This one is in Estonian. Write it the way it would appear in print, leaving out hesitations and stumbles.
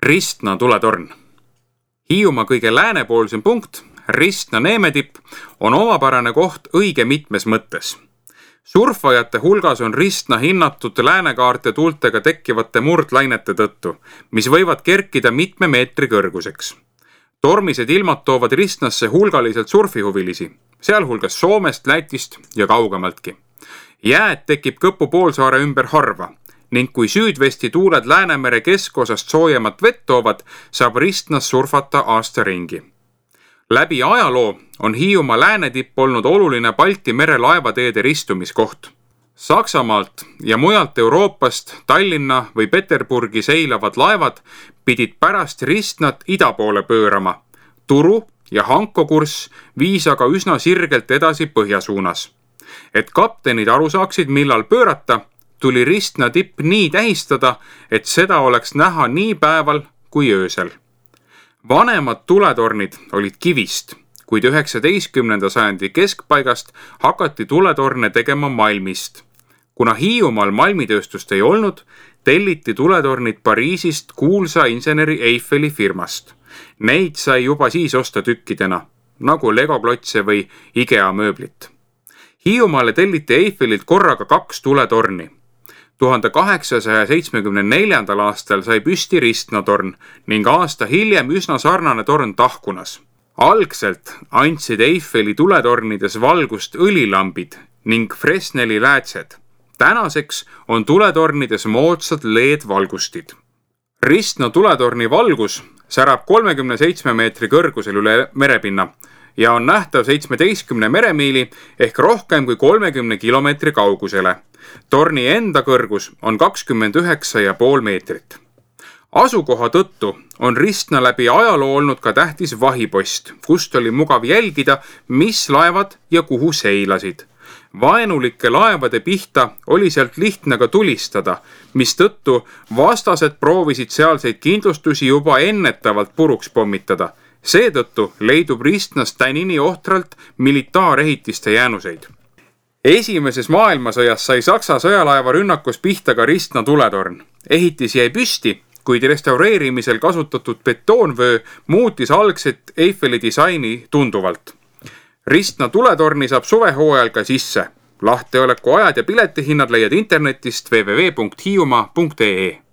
Ristna tuletorn. Hiiumaa kõige läänepoolsem punkt, Ristna neemetipp, on omapärane koht õige mitmes mõttes. Surfajate hulgas on Ristna hinnatud läänekaarte tuultega tekkivate murdlainete tõttu, mis võivad kerkida mitme meetri kõrguseks. Tormised ilmad toovad Ristnasse hulgaliselt surfihuvilisi, sealhulgas Soomest, Lätist ja kaugemaltki. Jääd tekib Kõpu poolsaare ümber harva ning kui süüdvesti tuuled Läänemere keskosast soojemat vett toovad, saab Ristnas surfata aasta ringi. Läbi ajaloo on Hiiumaa läänetipp olnud oluline Balti mere laevateede ristumiskoht. Saksamaalt ja mujalt Euroopast Tallinna või Peterburgi seilavad laevad pidid pärast Ristnat ida poole pöörama. Turu ja Hanko kurss viis aga üsna sirgelt edasi põhja suunas. Et kaptenid aru saaksid, millal pöörata, tuli Ristna tipp nii tähistada, et seda oleks näha nii päeval kui öösel. Vanemad tuletornid olid kivist, kuid 19. sajandi keskpaigast hakati tuletorne tegema malmist. Kuna Hiiumaal malmitööstust ei olnud, telliti tuletornid Pariisist kuulsa inseneri Eiffeli firmast. Neid sai juba siis osta tükkidena, nagu Lego-klotse või IKEA mööblit. Hiiumaale telliti Eiffelilt korraga 2 tuletorni. 1874. aastal sai püsti Ristna torn ning aasta hiljem üsna sarnane torn Tahkunas. Algselt andsid Eiffeli tuletornides valgust õlilambid ning Fresneli läätsed. Tänaseks on tuletornides moodsad LED-valgustid. Ristna tuletorni valgus särab 37 meetri kõrgusel üle merepinna ja on nähtav 17 meremiili ehk rohkem kui 30 kilomeetri kaugusele. Torni enda kõrgus on 29,5 meetrit. Asukoha tõttu on Ristna läbi ajaloo olnud ka tähtis vahipost, kust oli mugav jälgida, mis laevad ja kuhu seilasid. Vaenulike laevade pihta oli sealt lihtne ka tulistada, mistõttu vastased proovisid sealseid kindlustusi juba ennetavalt puruks pommitada. Seetõttu leidub Ristnas tänini ohtralt militaarehitiste jäänuseid. Esimeses maailmasõjas sai Saksa sõjalaeva rünnakus pihta ka Ristna tuletorn. Ehitis jäi püsti, kuid restaureerimisel kasutatud betoonvöö muutis algset Eiffeli disaini tunduvalt. Ristna tuletorni saab suvehooajal ka sisse. Lahteoleku ajad ja piletihinnad leiad internetist www.hiiumaa.ee.